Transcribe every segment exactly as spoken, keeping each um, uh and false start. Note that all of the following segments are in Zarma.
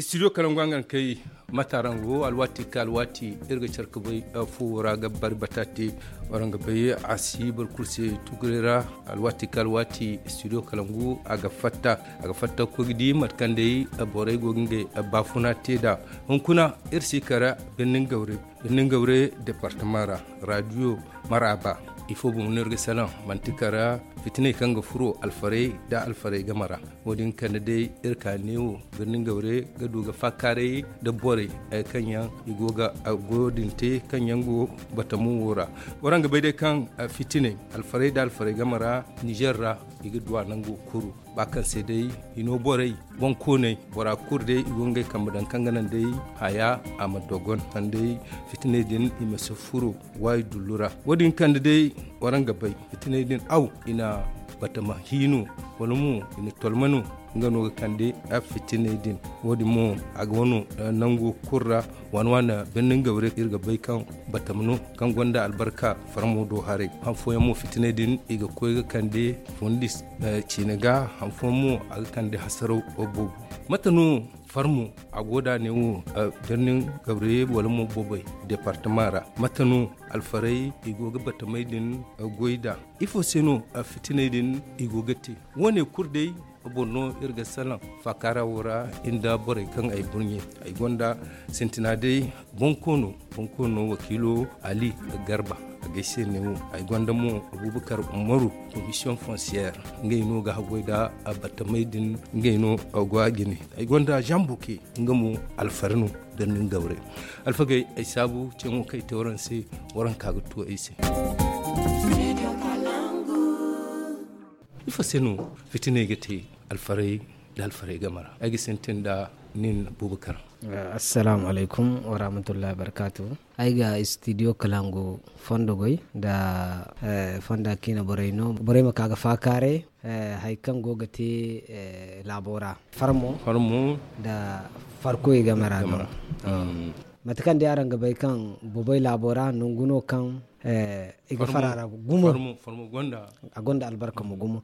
Studio kalangu a ga kay mata ra nga wo alwaati ka alwaati iri ga care ka bay fuwo ra ga bari bataate. Waraŋ ga bay a si boro kulu se tugurey ra. Alwaati ka alwaati studio kalangu a ga fatta a ga fatta ga koy ga di mate kaŋ day borey go ga ngey baafuna te nd'a. Hunkuna iri si kara birnin gawre birnin gawre departama ra radio maraba ifo boŋ no iri ga salaŋ manti kara fitiney kaŋ ga furo alfarey nda alfarey game ra. Wo- din kande day iri ka neewo birnin gawre ga du ga faakaaray nda borey kaŋ yaŋ i go ga goyo din te kaŋ yaŋ go batamu wo ra. Waraŋ ga bay day kaŋ fitiney alfarey nda alfarey game ra nizer ra i ga du a nango kuru ba kaŋ se day hino borey boŋkooney bora kulu day i go ngey kambe daŋ kaŋ ga naŋ day haya a ma dogon sanday fitiney din i ma si furo waayi dullu ra. Wo- din kande day waraŋ ga bay fitiney din aw i na batama hiino wala mo i na tolma no nga no ga kande fitiney din. Wo- din mo a ga wano nango kulu ra waani waani birnin gawre iri ga bay kaŋ batama no kaŋ gonda albarka farmo do haray han fooyaŋ mo fitiney din i ga koy ga kande fundis ciine ga han fooyaŋ mo a ga kande hasaraw boobo. Mate no farmo a go da ne wo birnin gawre wala mo boobay departama ra mate no alfarey i go ga batamey din goy da ifo se no fitiney din i go ga te? Wo- ne kulu day boro no iri ga salaŋ faakaara wo ra nda borey kaŋ ay burɲe ay gonda sintina day bonkoono bonkoono wakiilo ali garba a ga ay se ne wo. Ay gonda mo abubakar umaru komisiyoŋ fonsiyeer ngey no ga haggoy nda batamey din ngey no go a jine. Ay gonda zambuke nga mo alfari no birnin gawre. Alfagey ay saabu ceeŋo kaŋ ay te waraŋ se waraŋ ka ga tu ay se. Ifo se no fitiney ga te alfarey nda alfarey game ra ay ga sintin nda nin bubakar. Assalaamu alaykum warahmatullahi wabarkaatu. Ay ga studio kalangu fondo goy nda fonda kiina borey no borey ma ka ga faakaaray hari kaŋ go ga te laabo ra farmo farmo nda farkoy game ra no. Mate kaŋ day araŋ ga bay kaŋ bobey laabo ra nangu no kaŋ i ga fara ra gumo a gonda albarka mo gumo.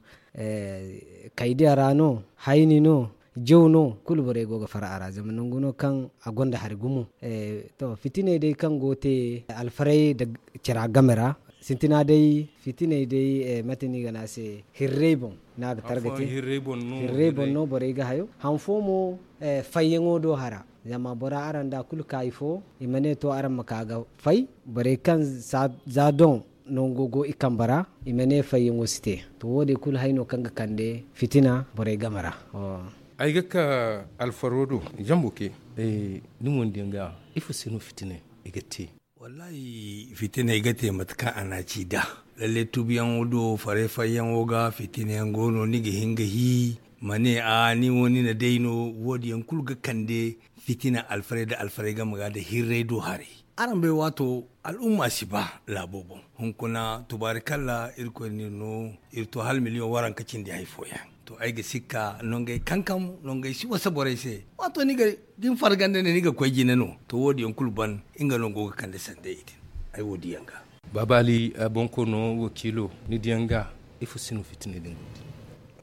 Kaydiya ra no hayni no jaw no kulu borey go ga fara a ra zama nangu no kaŋ a gonda hari gumo. To fitiney day kaŋ go te alfarey nda cara game ra sintina day fitiney day mate no i ga ne a se hirrey boŋ no a ga targa te. Hirrey boŋ no borey ga hayo han fo mo fayyaŋo do hara zama bora araŋ da kulu kaayi fo i ma ne to araŋ ma ka ga fay borey kaŋ za doŋ nango go i kambe ra i ma ne fayyaŋo si te. To wo- din kulu hay no kaŋ ga kande fitina borey game ra. Ay ga ka alfaro do zambo ke ni mo ni di yaŋ ga ifo se no fitina i ga te? Wallahi fitina i ga te mate kaŋ a na ci da lalle tubuyaŋo do faray fayyaŋo ga fitina yaŋ go no ni ga hin ga hi ma ne a ni wo ni na day no wo- din yaŋ kulu ga kande fitina alfaray nda alfaray game ga nda hirray do haray. Araŋ bay waato al'umma si ba laabo boŋ hunkuna tubaarikalla irkoy no iri no iri to hala miliyoŋ waranka cindi hari fooyaŋ. To ay ga sikka nongey kankam nongey si wasa borey se. Waato ni ga din farganda ne ni ga koy jine no to wo- din yaŋ kulu ban nga no go ga kande sanda i din. Ay wo- din yaŋ ga baaba ali bonkoono wakiilo ni di yaŋ ga ifo si no fitina din go te?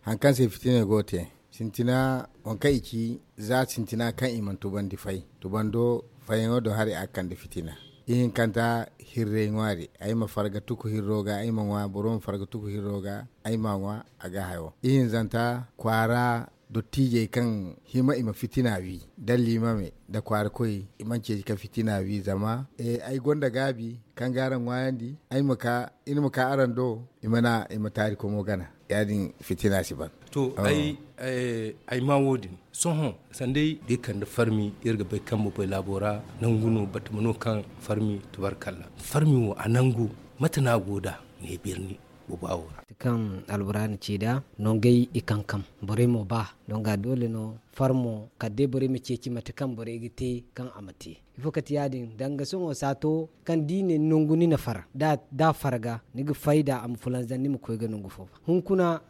Hari kaŋ se fitina go te sintina waŋ kaŋ i ci za sintina kaŋ i mana tubandi fay tubando fayyaŋo do hari a ga kande fitina. Ihinkanta hirray ŋwaari ay ma farga tuku hirro ga ay ma ŋwa boro ma farga tuku hirro ga ay ma ŋwa a ga hayo ihinzanta kwaara dottijey kaŋ hima i ma fitina wi da liimame da kwaara koy i mana ceeci ka fitina wi zama ay gonda gaabi kaŋ ga araŋ ŋwaayandi ay ma ka iri ma ka araŋ do i mana i ma taari komo gana. Ya- din fitina si ban. To ay ma wo- din sohõ sanday da i kande farmi iri ga bay kaŋ bobay laabo ra nangu no batama no kaŋ farmi tubaarkalla farmi wo a nangu mate no a go nd'a ne birni boba wo ra? Kaŋ albura na ci nd'a nongey i kankam borey mo ba donga doole no farmo kala day borey ma ceeci mate kaŋ borey ga te kaŋ a ma te. Ifo kate ya- din danga sohõ saato kaŋ da i ne nangu ni na far da a far ga ni ga fayda a ma fulanzam ni ma koy ga nangu fo ba hunkuna.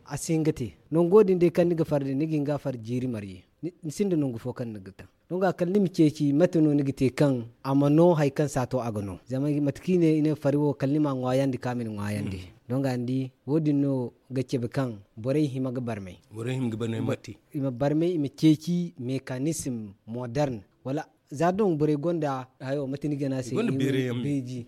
A si hin ga te nango din day kaŋ ni ga far din ni ga hin ga a far jiiri marje ni sinda nangu fo kaŋ ni ga taŋ. Donga kala ni ma ceeci mate no ni ga te kaŋ a ma no hari kaŋ saato a ga no zama mate kaŋ i ne fari wo kala ni ma a ŋwaayandi kaŋ a ma ni ŋwaayandi. Donga ni di wo- din no ga cabe kaŋ borey hima ga barmay. I ma barmay i ma ceeci mekanisim modern wala za doŋ borey gonda hayo mate ni ga ne a se beeji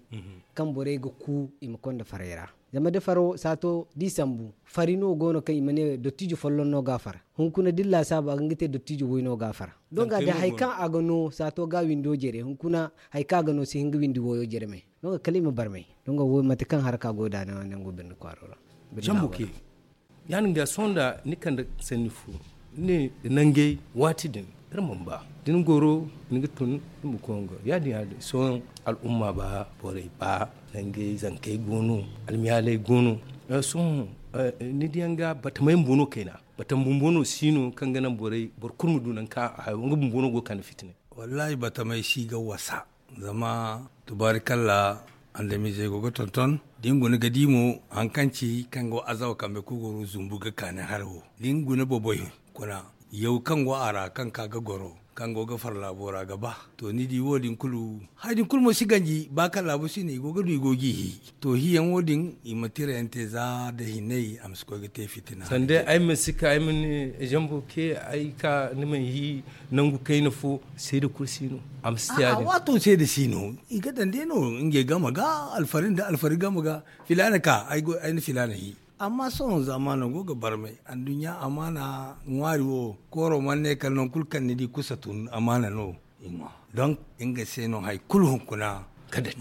kaŋ borey ga ku i ma konda farey ra. Zama da faro saato da i sambu fari no go no kaŋ i ma ne dottijo folloŋ no ga a far. Hunkuna da ni laasaabu a ga nga te dottijo way no ga a far. Donga da hari kaŋ a ga no saato ga windo jere hunkuna hari kaŋ a ga no si hin ga windi wayo jere me. Donga kala i ma barmay donga wo mate kaŋ haraka go da nango birni kwaaro ra. Zambu ke ya- din ga sohõ nda ni kande sanni fo ni ne nangey waati din iri mana ba da ni goro ni ga tun ni ma koy nga ya- din ya- din sohõ al'umma ba borey ba nangey zankey go no almiyaaley go no. Sohõ ni diyaŋ ga batamey bumbo no kayna batama bumbo no si no kaŋ ga naŋ borey boro kulu ma du nangu kaŋ a hayo nga bumbo no go ga kande fitinay. Wallaahi batamey si ga wasa zama tubaarikalla andamizey go ga tonton da ni guna ga di mo hari kaŋ ci kaŋ go azawa kambe kulu goro zumbu ga kaani hara wo da ni guna boboy kuna yaw kaŋ go a ra kaŋ ka ga goro kaŋ go ga far laabo ra ga ba. To ni di wo- din kulu hari din kulu mo si ganji ba kaŋ laabo si ne i go ga du i go ga i hi. To hiyaŋo din i ma tira yaŋ te za nda hinay a ma si koy ga te fitina. Sanda ay ma si ka ay ma ne zambo ke ay ka ni ma hi nangu kayna fo seeda kulu si no. A ma si te ya- din waato seeda si no i ga daŋ day no ngey game ga alfari nda alfari game ga filaana ka ay na filaana hi. Amma sohõ zaamaano go ga barmay anduɲɲa amaana ŋwaari wo kooro mana ne kala nangu kulu kaŋ ni di kusa tun amaana no. I ŋwa donk nga se no hari kulu hunkuna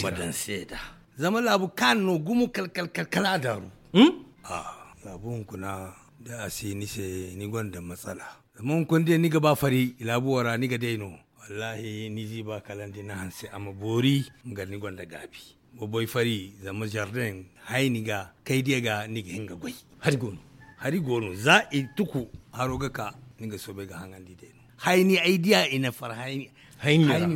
ma daŋ seeda. Zama laabu kaani no gumo kala kala kala kala a daaru. Laabu hunkuna da a si ni se ni gonda matsala. Zama hunkuna da ni ga ba fari laabu wo ra ni ga day no. Wallaahi ni ziiba kala nda ni hanse a ma boori nga ni gonda gaabi. Boboy fari zama zardeŋ hayni ga kaydiya ga ni ga hin ga goy. Hari go no za i tuku haro ga ka ni ga soobay ga haŋandi day no. Hayni ay diya i na far hayni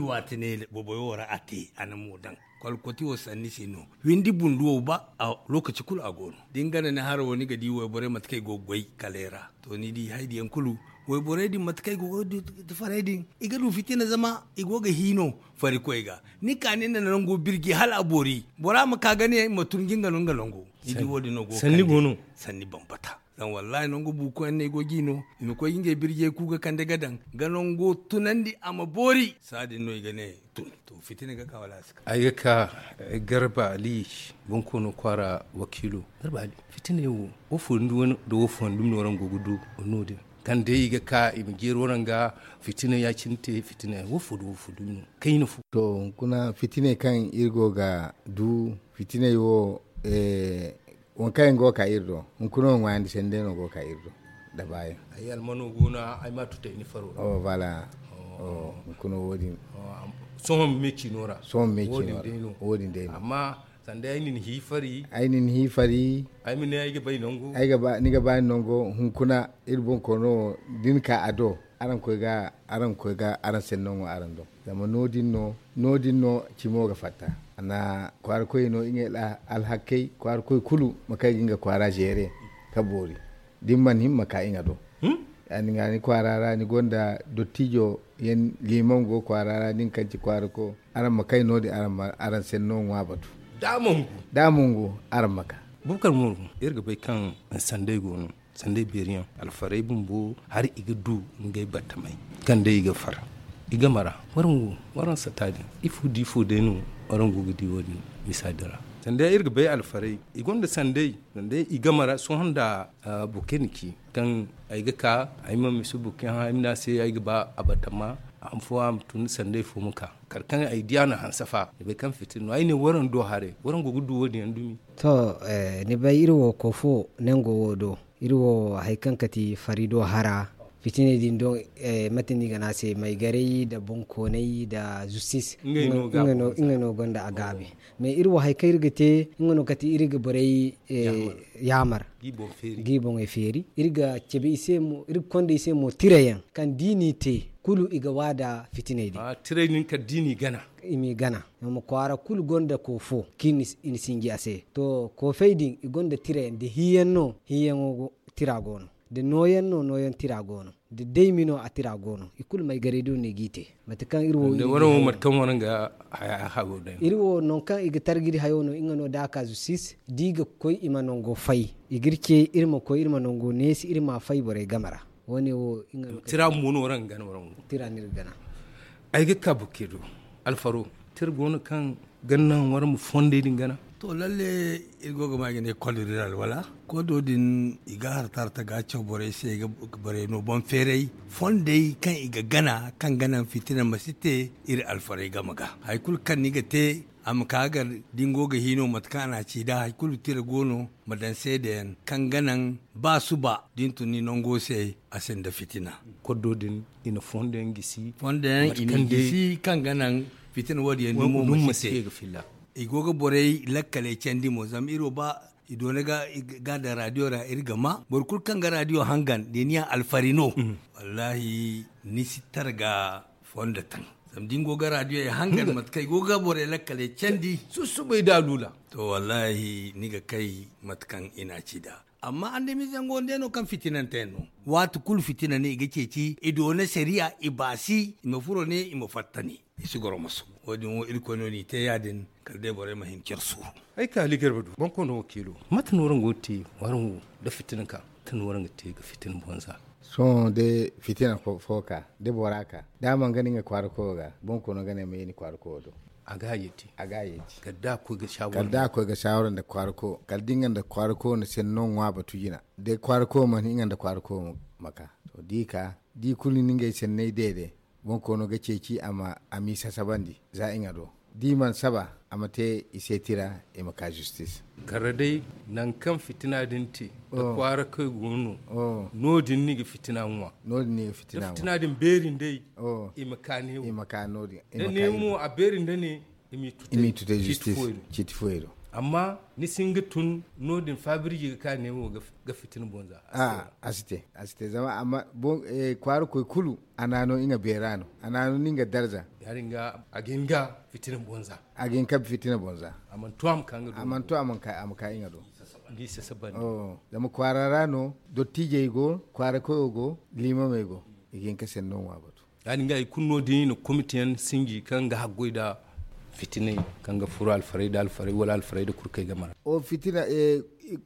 waati ne boboy wo ra a te a na mo daŋ. Kwalkwati wo sanni se no windi bundu wo ba a lokaci kulu a go no da ni gana ni haro wo ni ga di wayborey mate kaŋ i go ga goy kalay ra. To ni di haydiyaŋ kulu wayborey din mate kaŋ i go ga du faray din i ga du fitina zama i go ga hi no. Farikoy ga ni ka ni na nango birji hala a boori bora ma ka ga ne ma turji nga no nga nango. Ni di wo- din no go sanni go no. Sanni bambata zama wallahi nango buukoyaŋ no i go ga i no i ma koy ga ngey birjey ku ga kande ga daŋ ga nango tunandi a ma boori saadin no i ga ne tun. To fitina ga ka wala a si ka ay ga ka garba ali bonkoono kwaara wakiilo. Garba ali fitiney wo wo fo nda wo fo nda dumi no araŋ go ga du no- din kaŋ day i ga ka i ma jeeri waraŋ ga fitina ya-cine te fitina wo fo nda wo fo dumi no kayna fo. To hunkuna fitiney kaŋ iri go ga du fitiney wo waŋ kaŋ yaŋ go ga ka iri do hunkuna wo ŋwaayandi sanday no go ga ka iri do. Da baayaŋ ay almano go no ay ma a tuta i ni faro ra. Hunkuna wo- din sohõ ma me ciino ra. Sohõ ma me ciino ra wo- din day no amma sanda ay na ni hi fari ay na ni hi fari ay ma ne ay ga bay nangu ay ga ba ni ga ba ni nango hunkuna iri bonkoono wo da ni ka a do araŋ koy ga araŋ koy ga araŋ senno ŋwa araŋ do. Zama no- din no no- din no cimo ga fatta a na kwaara koy no ngey alhakkey kwaara koy kulu ma kay ga nga kwaara zeere ka boori da ni mana hima ma ka nga do. Ya- din ga ni kwaara ra ni gonda dottijo yaŋ liimaŋ go kwaara ra nin kaŋ ci kwaara ko araŋ ma kay no- din araŋ senno ŋwa batu. Da a mongu araŋ ma ka. Bukar moru iri ga bay kaŋ sanday go no sanday beeri yaŋ alfarey bumbo hari i ga du ngey battamey kaŋ day i ga far i game ra. Waraŋ wo waraŋ sata din ifo da ifo day no waraŋ go ga di wo- din misa din ra. Sanday iri ga bay alfarey i gonda sanday sanday i game ra sohõ nda bukeni ci kaŋ ay ga ka ay ma misa buki hã ay ma ne a se ay ga ba a batama a ma fo a ma tun sanday fo ma ka kala kaŋ ay di a na hanse fa ay bay kaŋ fitina no ay ne waraŋ do haray waraŋ go ga du wo- din yaŋ dumi. To ni bay iri wo koofo nango wo do iri wo hari kaŋ kati fari do hara fitiney din do mate no i ga ne a se maygaray nda bonkoonay nda justis ngey no gonda a gaabi. Mais iri wo hari kaŋ iri ga te nga no kati iri ga borey yaamar ga i boŋey feeri iri ga cabe i se mo iri ga konda i se mo tirayaŋ kaŋ da i n'i te kulu i ga waada fitiney din. Tirey din kala da i n'i gana i m'i gana zama kwaara kulu gonda koofo kaŋ i na sinji a se to koofey din i gonda tirayaŋ da hiiyaŋ no hiiyaŋo tira go no. Da nooyaŋ no nooyaŋ tira go no, da daymi no a tira go no, i kulu maygaray do no i g'i te. Mate kaŋ iri wo iri wo mate kaŋ waraŋ ga hago day no. Iri wo nangu kaŋ i ga targiri hayo no nga no da a ka zusis da i ga koy i ma nango fay. I ga iri ce iri ma koy iri ma nango neesi iri ma fay borey game ra. Wo- ne wo nga no tira mo no waraŋ ga gana waraŋ wo tira no iri ga gana. Ay ga ka bukke do alfaro tira go no kaŋ ga naŋ waraŋ ma fondey din gana. To lalle, iri go ga ma i ga ne kodo din alwala. Kodo din i ga harta harta ga caw borey se i ga borey no boŋ feeray fondey kaŋ i ga gana kaŋ ga naŋ fitina ma si te. Iri alfarey game ga hari kulu kaŋ ni ga te a ma ka ga da ni go ga hino mate kaŋ a na a ci da hari kulu tira go no ma daŋ seedeyaŋ kaŋ ga naŋ ba suba da ni tun ni nango se a sinda fitina. Koddo din i na fondo yaŋ gisi. Fondo yaŋ i na gisi kaŋ ga naŋ fitina wo- din yaŋ ni mo ma si te. I go ga borey lakkaley candi mo zama iri wo ba i doona ga daŋ radiyo ra iri ga ma boro kulu kaŋ ga radiyo hangan da ni yaŋ alfari no. Wallahi ni si targa fondo taŋ. Zama da ni go ga radiyo hangan mate kaŋ i go ga borey lakkaley candi. Sussubay da alula. To wallahi ni ga kay mate kaŋ i na a ci nd'a. Amma andamize yaŋ go nda yaŋ no kaŋ fitinante yaŋ no. Waati kulu fitina ne i ga ceeci i doona sariya i baasi i ma furo ne i ma fatta ne. I si goro maso. Wo- din wo irkoy no n'i te ya- din kala day borey ma hin care suuru. Ay ka ali garba du boŋ koy no wakiilo. Mate no waraŋ go ga te waraŋ wo nda fitina ka mate no waraŋ ga te ga fitina bonza. Sohõ day fitina fo ka da bora ka da a mana gana nga kwaara koyo ga boŋ koy no ga ne ma ye ni kwaara koyo do. A ga a yeeti. Kala da a koy ga saawara nda kwaara koyo kala da nga nda kwaara koyo na senno ŋwa batu jina. Day kwaara koyo mana nga nda kwaara koyo ma ka to da i ka da i kulu na ngey senney deede. Boŋ koono ga ceeci a m'i sasabandi za i ŋa do da i mana saba a ma te i se tira. I ma ka zistis. Kala day nangu kaŋ fitina din te da kwaara koy go no no- din no i ga fitina ŋwa. No- din no i ga fitina ŋwa da fitina din beeri nd'ey. I ma ka neewo da neewo mo a beeri nda ne i m'i tute zistis. Ciiti fuwey do. Amma ni si hin ga tun no- din faabirji ga ka neewo ga fitina bonza. A si te a si te zama amma kwaara koy kulu a na no i ŋa beera no a na no ni nga darza. Ya- din ga a ga hin ga fitina bonza. A ga hin ga fitina bonza. A mana to a ma ka i ŋa do. Zama kwaara ra no dottiijey go kwaara koyo go liimamey go. I ga hin ga senno ŋwa batu. Ya- din ga i kulu no- din i na komite yaŋ sinji kaŋ ga haggoy nda fitiney kaŋ ga furo alfarey nda alfarey wala alfarey nda kurkey game ra. Fitina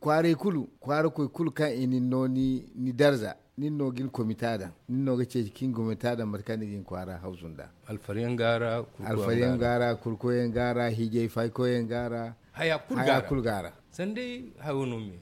kwaarey kulu kwaara koy kulu kaŋ i na ni no ni darza. Nin no ga ni komita daŋ nin no ga ceeci ka ni komita daŋ mate kaŋ ni ga ni kwaara hawzu nda. Alfariyaŋ ga a ra kurkoyaŋ ga a ra hiijay faykoyaŋ ga a ra haya kulu ga a ra. Sanday hayo no me.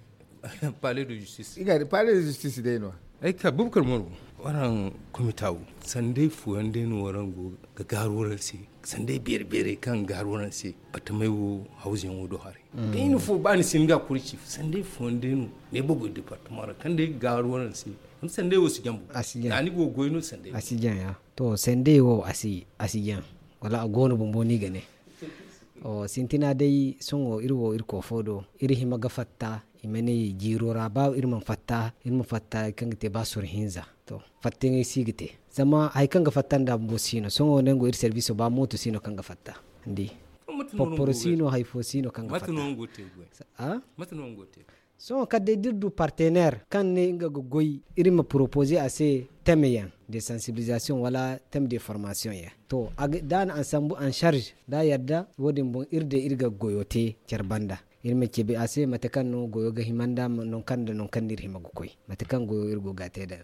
Pale de justis i ga di pale de justis day no. Ay ka bubakar maro waraŋ komita wo sanday fooyaŋ day no waraŋ go ga gaaru waraŋ se. Sanday beere beerey kaŋ ga gaaru waraŋ se batamay wo hawzu yaŋ wo do haray. Kayna fo ba ni si ni ga kuri ci sanday fooyaŋ day no ne bogoy departement ra kaŋ day ga gaaru waraŋ se. Zama sanday wo si jaŋ bo. A si jaŋ a ni go ga goy no sanday a si jaŋ ya. To sanday wo a si a si jaŋ wala a go no bumbo no i ga ne. Sintina day sohõ iri wo iri koofo do iri hima ga fatta i ma ne jiiro ra ba iri mana fatta iri ma fatta hari kaŋ ga te ba soro hinza. To fattayaŋey si ga te zama hari kaŋ ga fatta nda bumbo si no sohõ nango iri sarbiso ba mooto si no kaŋ ga fatta. Ni di porporo si no hari fo si no kaŋ ga fatta. Sohõ kala day da iri du partener kaŋ ne nga ga goy iri ma poropoze a se teme yaŋ de sansibilizasiyoŋ wala teme de formasiyoŋ yaŋ. To da a na ansambu an sarze da a yadda wo- din boŋ iri day iri ga goyo te care banda. Iri ma ceebe a se mate kaŋ no goyo ga hima nda nangu kaŋ nda nangu kaŋ no iri hima ga koy mate kaŋ goyo iri go ga a te nd'a.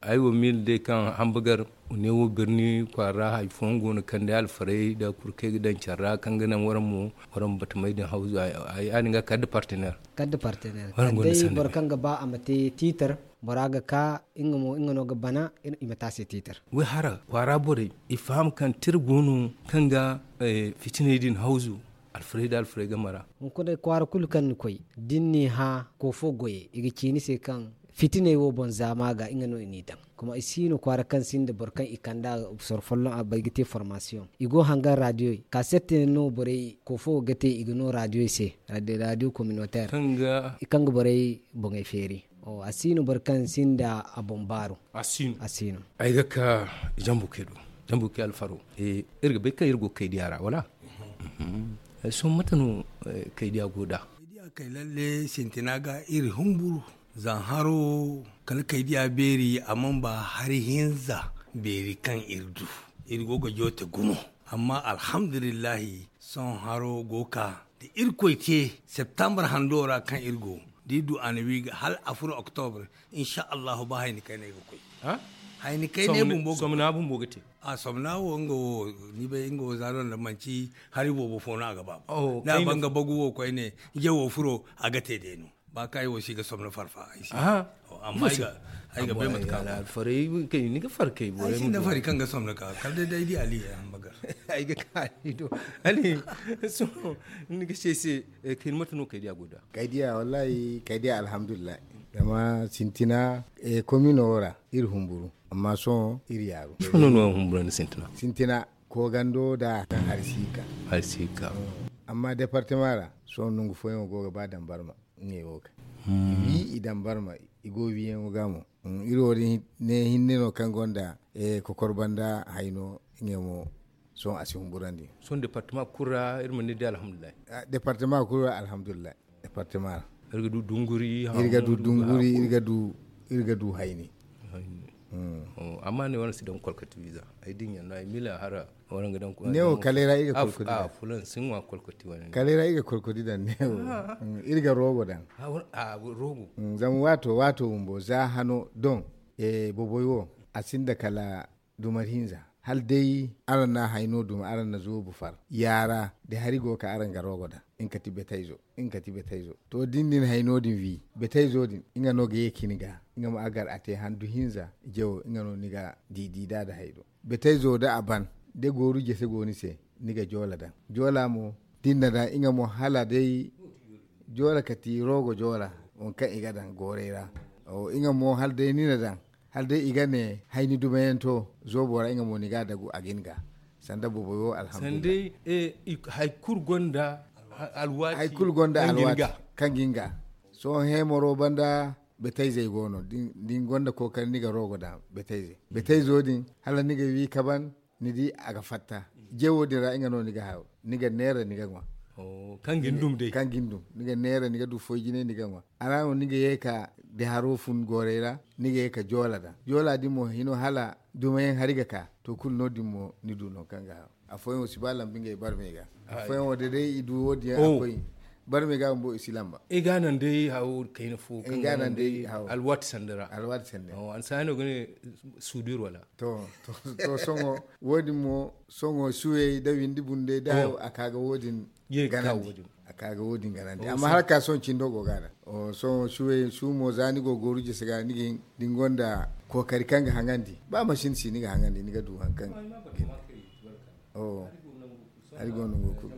Ay wo miila day kaŋ hambagar neewo birni kwaara ra hari fooyaŋ go no kaŋ day alfarey nda kurkey ga daŋ care ra kaŋ ga naŋ waraŋ mo waraŋ ma batamey din hawzu. Ya- din ga kala nda partener. Kala nda partener kala day boro kaŋ ga ba a ma te tiitar bora ga ka nga mo nga no ga bana. I ma te a se tiitar. Wayhara kwaara borey i faham kaŋ tira go no kaŋ ga fitiney din hawzu. Alfarey nda alfarey game ra. Hunkuna kwaara kulu kaŋ ni koy da ni n'i hã koofo goyey i ga ci ni se kaŋ fitiney wo boŋ zaama ga nga no i n'i daŋ. Kuma i si no kwaara kaŋ sinda boro kaŋ i kand'a soro folloŋ a bay ga te formasiyoŋ i go hangan radiyoy kasettey no borey koofo ga te i ga no radiyoy se radiyo kominoteer kaŋ ga borey boŋey feeri. A si no boro kaŋ sinda a boŋ baaru. A si no. Ay ga ka jambuke do jambuke alfaro. Iri ga bay kaŋ iri go ga kay diya ra wala? Sohõ mate no kay diya go nd'a? Kay diya kay lalle sintina ga iri humburu. Zan haro kala kay diya beeri a man ba hari hinza beeri kaŋ iri du. Iri go ga joote gumo. Amma alhamdulillahi, sohõ haro go ka da irkoy te septembre hando ra kaŋ iri go da iri du a na wi ga hal a furo octobre. Insha allahu ba hayni kayna ay ga koy. Hayni kayna ay bumbo ga somna bumbo ga te. A somna wo nga wo ni bay nga wo zaaro nda manci hari boobo fo no a ga ba. Da a ban ga bagu wo koyne jawo furo a ga te day no. Ba kaŋ ay wo si ga somno farfa ay si. Amma ay ga bay mate kaŋ alfaray kay ni ga far kay boro ay si nda fari kaŋ ga somno ka kala day day di ali ay hamba gar. Ay ga ka ali do ali. Sohõ ni ga se se kay ni mate no kay diya go da. Kay diya wallahi kay diya alhamdulillahi. Zama sintina komino wo ra iri humburu amma sohõ iri yaaru. Humbura ni sintina sintina. Koogando da kaŋ hari si ka hari si ka. Amma departema ra sohõ nangu fooyaŋo go ga ba dambarma. Ngey wo ga wi i dambarma i go wiyaŋo ga mo. Iri wo din ne hinne no kaŋ gonda kokor banda hayno ngey mo. Sohõ a si humburandi. Sohõ departema kulu ra iri ma ni di alhamdulillahi. Departema kulu ra alhamdulillahi. Departema ra iri ga du dunguri iri ga du dunguri iri ga du iri ga du hayni. Amma ne wane si daŋ kolkati wiza ay dinya no ay mila hara. Newo kalera iga kolkodi dan newo. Iga rogo dan. Zama wato wato wumbo za hano don boboy wo a sinda kala dumar hinza. Hala day araŋ na hayno duma araŋ na zoobu far yaara da hari go ka araŋ ga rogo dan. Nga kati betayzo nga kati betayzo to din din hayno din wi betayzo din nga no ga ye kini ga. Nga ma agar a te handu hinza jawo nga no ni ga didi da da haydo. Betayzo da a ban da gooru jese go ni se ni ga joola daŋ. Joola mo da ni na daŋ nga mo hala day joola kati rogo joola. Waŋ kaŋ i ga daŋ gooray ra nga mo hala day ni na daŋ hala day i ga ne hayni dumayaŋ to zoobo ra nga mo ni ga dagu a ga ni ga. Sanda boboyo alhamdulillah. Sanda hay kulu gonda alwaati kaŋ ga ni ga. Sohõ hemoro banda betayzey go no da ni gonda kookari ni ga rogo daŋ betayzey betayzo din hala ni ga wi kaban. Ni di a ga fatta jewo din ra nga no ni ga hayo ni ga neera ni ga ŋwa. Kaŋ ga ni dum ni ga neera ni ga du foy jine ni ga ŋwa. A ra no ni ga ye ka da haro fun goorey ra ni ga ye ka joola daŋ joola din mo hino hala dumayaŋ hari ga ka. To kulu no- din mo ni du no kaŋ ga hayo. Afooyaŋ wo si ba lambu ngey barmey ga. Afooyaŋ wo da day i du wo- din yaŋ a koy barmey ga bumbo i si lamba. I ga naŋ day hawo kayna fo kaŋ ga naŋ day alwaati sanda ra. Alwaati sanda a na si hano ga ne sudur wala. To sohõ wo- din mo sohõ suwey da windi bunday da hayo a ka ga wo- din ganandi. A ka ga wo- din ganandi amma har ka sohõ cindo go ga a daŋ. Sohõ suwey su mo za ni go gooru jese ga ni ga hin da ni gonda kookari kaŋ ga haŋandi ba masin si ni ga haŋandi ni ga du hari kaŋ ga hin. Hari go nangu kulu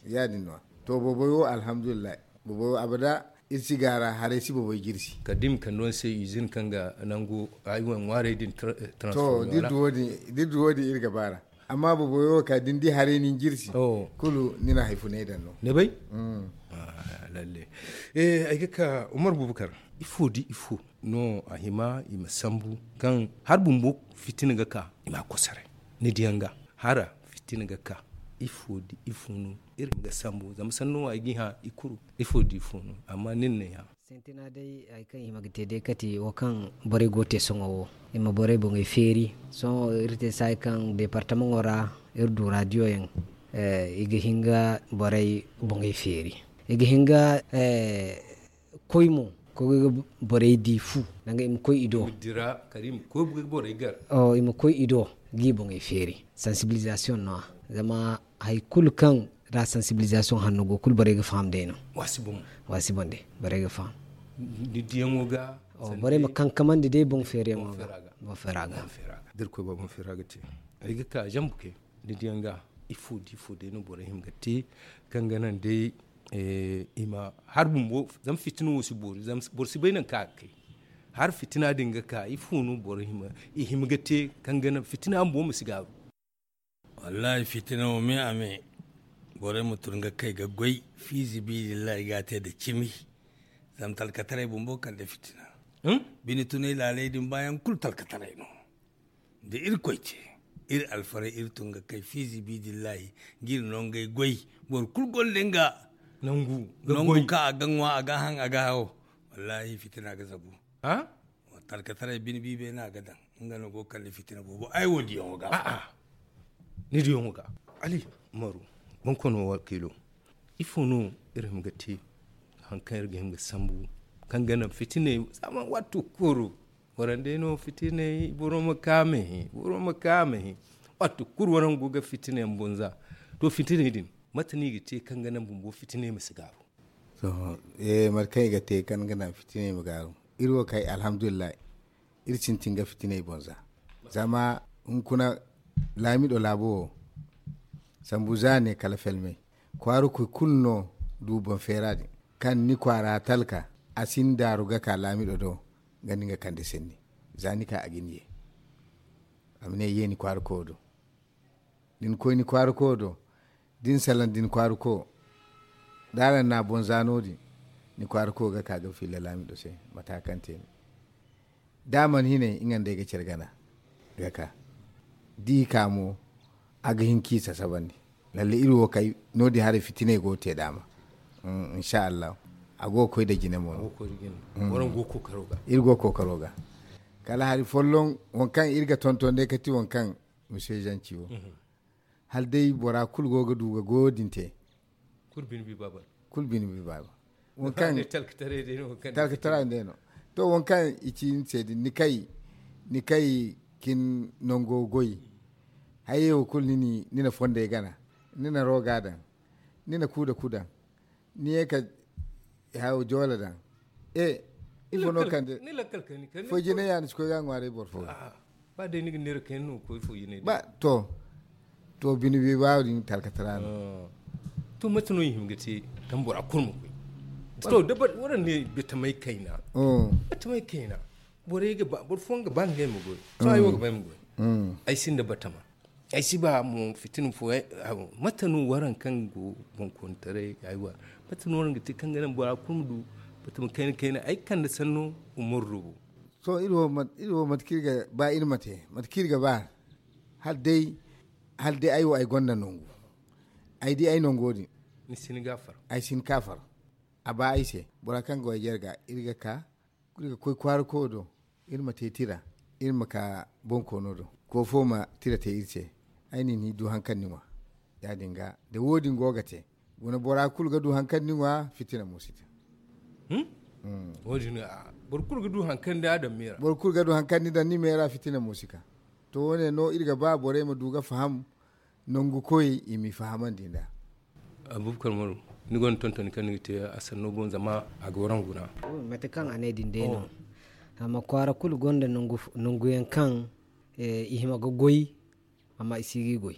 ya- din no. To boboy wo alhamdulillahi boboy wo abada. Iri si gaara haray si boboy jirsi. Kala da i ma kande wane se izin kaŋ ga nangu ay wane ŋwaarey din. To da iri du wo- din iri ga baara. Amma boboy wo ka da ni di haray ni jirsi kulu ni na hari funay daŋ no. Ni bay. Lalle. Ay ga ka umar bubakar. Ifo da ifo no a hima i ma sambu kaŋ hari bumbo fitina ga ka i ma a kosoray. Ni diyaŋ ga hara fitina ga ka ifo da ifo no iri ma ga sambu zama sanno wo ay ga i hã i kuru. Ifo da ifo no amma nin no ay hã. Sintina day hari kaŋ i hima ga te day kate wo kaŋ borey go ga te sohõ wo i ma borey boŋey feeri. Sohõ iri te saayi kaŋ departamaŋo ra iri du radiyo yaŋ i ga hin ga borey boŋey feeri. I ga hin ga koy mo koy ga borey di fu danga i ma koy i do. I ma koy i do ga i boŋey feeri. Sansibilizasiyoŋ no- ya zama hari kulu kaŋ ra sansibilizasiyoŋ hanno go kulu borey ga faham day no. Waasi boŋ day borey ga faham. Ni diyaŋo ga borey ma kankamandi day boŋ feeriyaŋo ga. Boŋ feera ga da irkoy ba boŋ feera ga te. Ay ga ka zambu kay ni diyaŋ ga ifo da ifo day no borey hima ga te kaŋ ga naŋ day i ma hari bumbo zama fitina wo si boori zama boro si bay nangu kaŋ a ga kay. Hari fitina din ga ka ifo no boro hima i hima ga te kaŋ ga naŋ fitina bumbo ma si gaaru. Wallahi fitina wo me a me borey ma tun ga kay ga goy fiizibiilillahi ga a te nda cimi. Zama talkataray bumbo kande fitina. Bine tunay laaley din baayaŋ kulu talkataray no. Da irkoy te iri alfaray iri tun ga kay fiizibiilillahi ga iri no ngey goy. Boro kulu gonda nga nangu kaŋ a ga ŋwa a ga haŋ a ga hawo. Wallaahi fitina ga zabu. Talkataray bine biibay no a ga daŋ. Nga no go ga kande fitina boobo ay wo diyaŋo ga. A'a, ni diyaŋo ga. Ali, umaru, bonkoono wakiilo, ifo no iri hima ga te? Hari kaŋ iri ga hima ga sambu kaŋ ga naŋ fitiney zama waati kulu warandey no fitiney boro ma kaame. Boro ma kaame. Waati kulu warangu ga fitiney ma bonza. To fitiney din, mate no i ga te kaŋ ga naŋ bumbo fitiney ma si gaaru? Mate kaŋ i ga te kaŋ ga naŋ fitiney ma gaaru, iri wo kay alhamdulillahi. Iri sintin ga fitiney boŋ za zama hunkuna laamido laabo wo sambu za ne kala felmey. Kwaara koy kulu no du boŋ feera din kaŋ ni kwaara talka a si ni daaru ga ka laamido do. Nga ni ga kande senni za ni ka a ga ni ye. A ma ne ye ni kwaara koyo do. Da ni koy ni kwaara koyo do da ni salaŋ da ni kwaara koyo da araŋ na a boŋ za no- din ni kwaara koyo ga ka ga filla laamido se. Mate kaŋ te ni da a mana hinay nga nda ay ga care gana ga ka. Da i ka mo a ga hin ka i sasabandi. Lalle iri wo kay no- din haray fitiney go ga te daama. Insa allahu a go ga koy nda jine mo no. Iri go ga kookaro ga kala hari folloŋ waŋ kaŋ iri ga tonton day ga ti waŋ kaŋ mise zanci wo. Hala day bora kulu go ga du ga goyo din te. Kulu bine bi baaba. Waŋ kaŋ talkatara day no. To waŋ kaŋ i ci ni se din ni kay ni kay kin nango goy. Hayey wo kulu ni na fondey gana ni na roga daŋ ni na kuuda ku daŋ. Ni ye ka hayo joola daŋ. E ifo no kande foy jine ya ni si koy ga ŋwaaray boro fo ga. Ba day ni ga neera kayna no ga koy fo jine ba to. To bine bi ba din talkatara no. To mate no i hima ga te kaŋ bora kulu ma koy? To da wara ne batamay kayna. Batamay kayna borey ga ba boro fooyaŋ ga ba ngey ma goy. To ay wo ga ba ay ma goy. Ay sinda batama. Ay si ba mo fitina fo. Mate no waraŋ kaŋ go boŋkoontaray aywa? Mate no waraŋ ga te kaŋ ga naŋ bora kulu ma du batama kayna kayna ay kande sanno umaru do bo. Sohõ iri wo mate kaŋ iri ga ba iri ma te mate kaŋ iri ga ba. Hala day ay wo ay gonda nangu. Ay di ay nango din ay si ni kaafar. A ba ay se bora kaŋ ga waje iri ga iri ga ka iri ga koy kwaara koyo do. Iri ma te tira iri ma ka bonkoono do. Koofo ma tira te iri se. Ay na ni du hari kaŋ ni ŋwa. Ya- din ga da wo- din go ga te guna bora kulu ga du hari kaŋ ni ŋwa fitina mo si te. Wo- din boro kulu ga du hari kaŋ ni daŋ ni meera fitina mo si ka. To wo- ne no iri ga ba borey ma du ga faham nangu koyey i m'i fahamandi nd'a. Abubakar maru ni gonda tontoni kaŋ ni ga te a sanno boŋ zama a ga waraŋ guna. Mate kaŋ a ne din day no. Amma kwaara kulu gonda nangu yaŋ kaŋ i hima ga goy. Amma i si ga i goy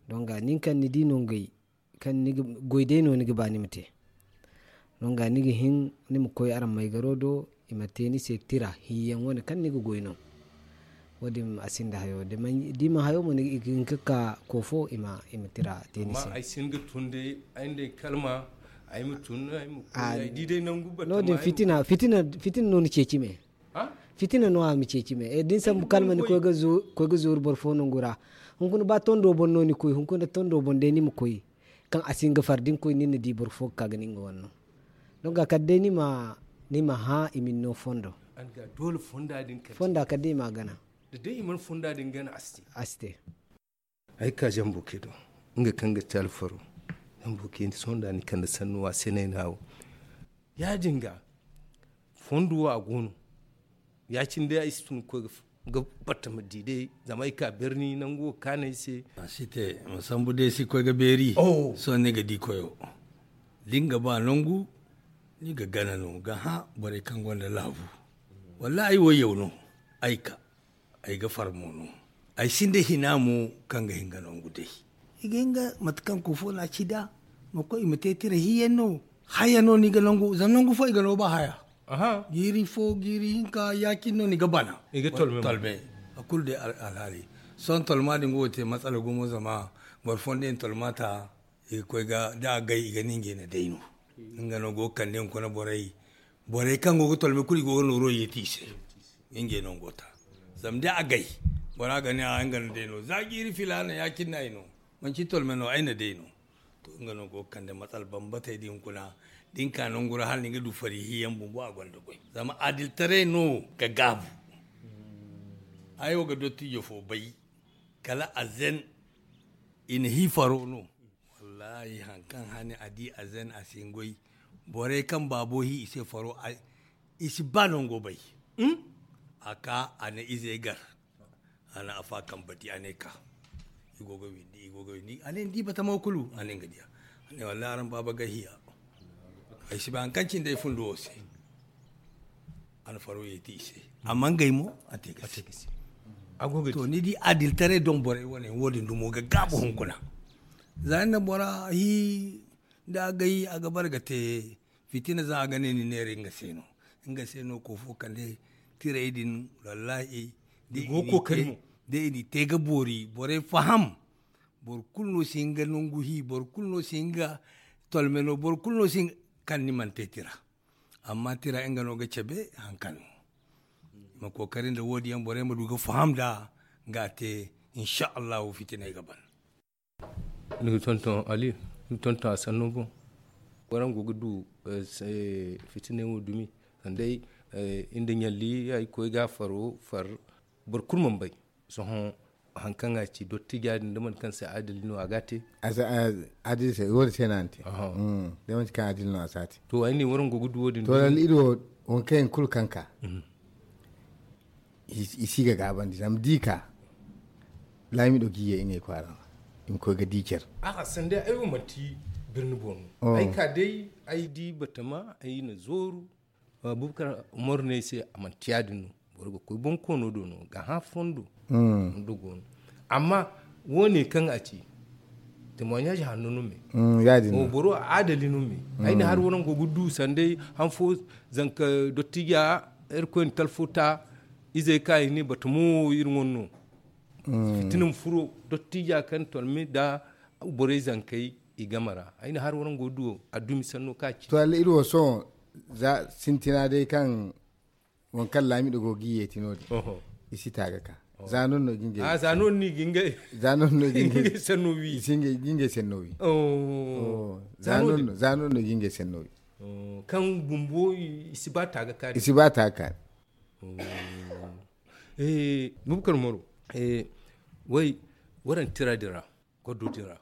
donga nin kaŋ ni di nangey kaŋ ni ga goy day no ni ga ba ni ma te. Donga ni ga hin ni ma koy araŋ maygaro do i ma te ni se tira hiyaŋ wane kaŋ ni ga goy no. Wo- din a sinda hayo da i mana hayo mo ni ga hin ga ka koofo i ma tira te ni se. Ay si hin ga tun day ay nda ay kalma ay ma tun ay ma koy ay di day nangu batama no- din fitina fitina no ni ceeci me. Fitina no a ma ceeci me da ni sambu kalma ni koy ga zooru boro fo nangu ra. Hunkuna ba tondo boŋ no ni koy hunkuna tondo boŋ day ni ma koy. Kaŋ a si hin ga far da ni koy ni na di boro fo ga ka ga ni nga wane no. Donga kala day ni ma hã i ma ni no fondo. Fonda kala day i ma a gana. A si te. Ay ga ka zambo kay do nga kaŋ ga te alfaro. Zambo kay ni sohõ da ni kande sanno a se no ay na wo. Ya- din ga fondo wo a go no. Ya- cine day ay si tun ga koy ga batta ma di day zama ay ka birni nangu wo kaanay se. A si te ma sambu day si koy ga beeri. Sohõ ni ga di koyo da ni ga ba nangu ni ga gana no ga hã borey kaŋ gonda laabu. Wallaahi ay wo yaw no. Ay ka ay ga far mo no. Ay sinda hina mo kaŋ ga hin ga nangu day. I ga hin ga mate kaŋ koofo no a ci nd'a ma koy i ma te tira hiyaŋ no. Haya no ni ga nangu zama nangu fo i ga no ba haya. Jiiri fo jiiri hinka ya- cine no ni ga bana. I ga tolme a kulu day alhaali. Sohõ tolma din go ga te matsala gumo zama boro fooyaŋ day na tolma ta i ga koy ga da a gay i ga ne ngey na day no. Nga no go ga kande hunkuna borey. Borey kaŋ go ga tolme kulu i go ga nooro yeeti i se. Ngey no go ta zama da a gay bora ga ne a nga na day no za jiiri filaana ya- cine no ay no. Manci tolme no ay na day no. To nga no go ga kande matsala bambatey din kuna. da ni ka nangu ra hala ni ga du fari hiyaŋ bumbo a gonda goy zama adiltaray no ga gaabu. Ay wo ga dottijo fo bay kala a zen i na hi faro no. Wallahi hari kaŋ hane a di a zen a si hin goy. Borey kaŋ baabo hi i se faro i si ba nango bay. A ka a na izey gar a na afa kaŋ bati a ne ka i go ga windi i go ga windi a ne ni di batama kulu a ne nga diya. A ne wallahi araŋ baaba ga hiya. Ay si bay hari kaŋ cindi ay fundo wo se. A na faro yeeti i se. Amma ngey mo a te ga se. To ni di adiltaray doŋ borey wane wo- din dumo ga gaabu hunkuna. Za ni na bora hi da a gay a ga bara ga te fitina za a ga ne ni neera nga se no. Nga se no ko fo kande tiray din wallahi da i n'i te ga boori borey faham. Boro kulu no si hin ga nangu hi boro kulu no si hin ga tolme no boro kulu no si hin ga kaŋ ni mana te tira. Amma tira nga no ga cabe hari kaŋ no i ma kookari nda wo- din yaŋ borey ma du ga faham nd'a. Nga a te insa allahu fitiney ga ban. Ni ga tonton ali ni ga tonton a sanno boŋ. Waraŋ go ga du fitiney wo dumi sanda iri nda ɲalli ay koy ga faro far. Boro kulu mana bay sohõ hari kaŋ a ci dottija din da mate kaŋ se adili no a ga a te. Adili se wo- din se no a na te. Da manti kaŋ adili no a si a te. To ay ne waraŋ go ga du wo- din to lalle iri wo waŋ kaŋ yaŋ kulu kaŋ ka i si ga gaabandi zama da i ka laamiɗo ga i ye ngey kwaara ra i ma koy ga di care. A'a sanda ay wo manti birni boŋ no ay ka day ay di batama ay na zooru. Bubakar umaru ne ay se a manti ya- din no. Boro ga koy boŋ koono do no ga hã fondo. Amma wo- ne kaŋ a ci témoignage hanno no me. Boro adali no me. Ay na hari waraŋ go ga du sanday han fo zanka dottija irkoy na talfo ta izey ka i ne bata mo iri wane no. Fitina ma furo dottija kaŋ tolme nda borey zankey i game ra. Ay na hari waraŋ go ga du a dumi sanno ka ci to alle iri wo sohõ sintina day kaŋ waŋ kaŋ laamiɗo go ga yeeti no- din i si ta ga ka. Za noon no ga ngey za noon no ga ngey senno wi i si ga ngey senno wi. Za noon no ga ngey senno wi. Kaŋ bumbo i si ba ta ga ka i si ba ta ga ka. Bubakar maro way waraŋ tira din ra koddo din ra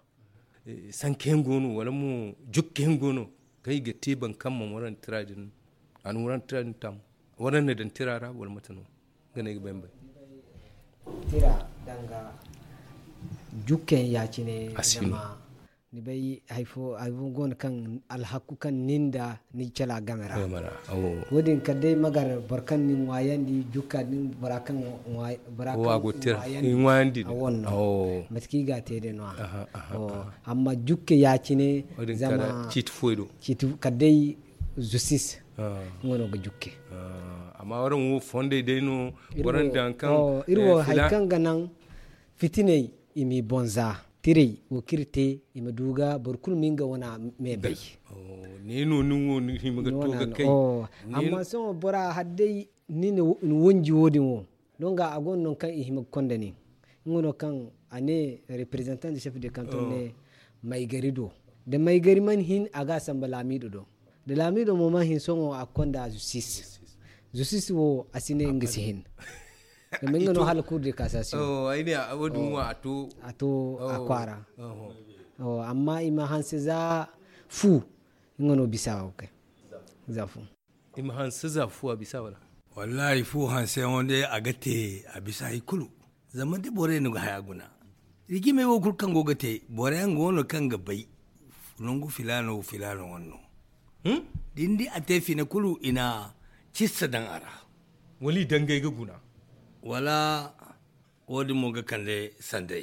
sanka yaŋ go no wala mo jukka yaŋ go no kaŋ i ga te baŋ kaŋ mana waraŋ tira din a na waraŋ tira din tam waraŋ na daŋ tira ra wala mate no? Nga no ay ga bay ma bay. Tira danga jukka yaŋ ya- cine zama ni bay hari fo go no kaŋ alhakku kaŋ ni nda ni cala game ra. Wo- din kala day magar boro kaŋ ni ŋwaayandi jukka din bora kaŋ ŋwaayandi a wane no mate kaŋ i ga a te day no- ya amma jukke ya- cine zama ciiti foy do kala day zusis nga no ga jukke. Amma waraŋ wo fondey day no waraŋ daŋ kaŋ iri wo hari kaŋ ga naŋ fitiney i m'i boŋ za tirey wo kaŋ iri te i ma du ga boro kulu ma nga wane me bay. Ne no ni wo ni hima ga to ga kay. Amma sohõ bora hari day ni na wanji wo- din wo no nga a go no nangu kaŋ i hima ga konda nin nga no kaŋ a ne representant de chef de canton ne maygari do da maygari mana hin a ga a samba laamiido do da laamiido mo mana hin sohõ a ga konda zusis. Zusis wo a si ne nga si hin zama nga no hala cour de cassation. Ay ne wo- din wo a to a kwaara. Amma i ma hanse za fu nga no bisa wo kay za fu. I ma hanse za fu a bisa wala? Wallahi fu hanseyaŋo day a ga te a bisa hari kulu. Zama da borey no ga haya guna rigimey wo kulu kaŋ go ga te boroyaŋ go no kaŋ ga bay nangu filaano filaano wane no. Da ni di a te fina kulu i na cissa daŋ a ra. Wala i dangay ga guna wala wo- din mo ga kande sanday.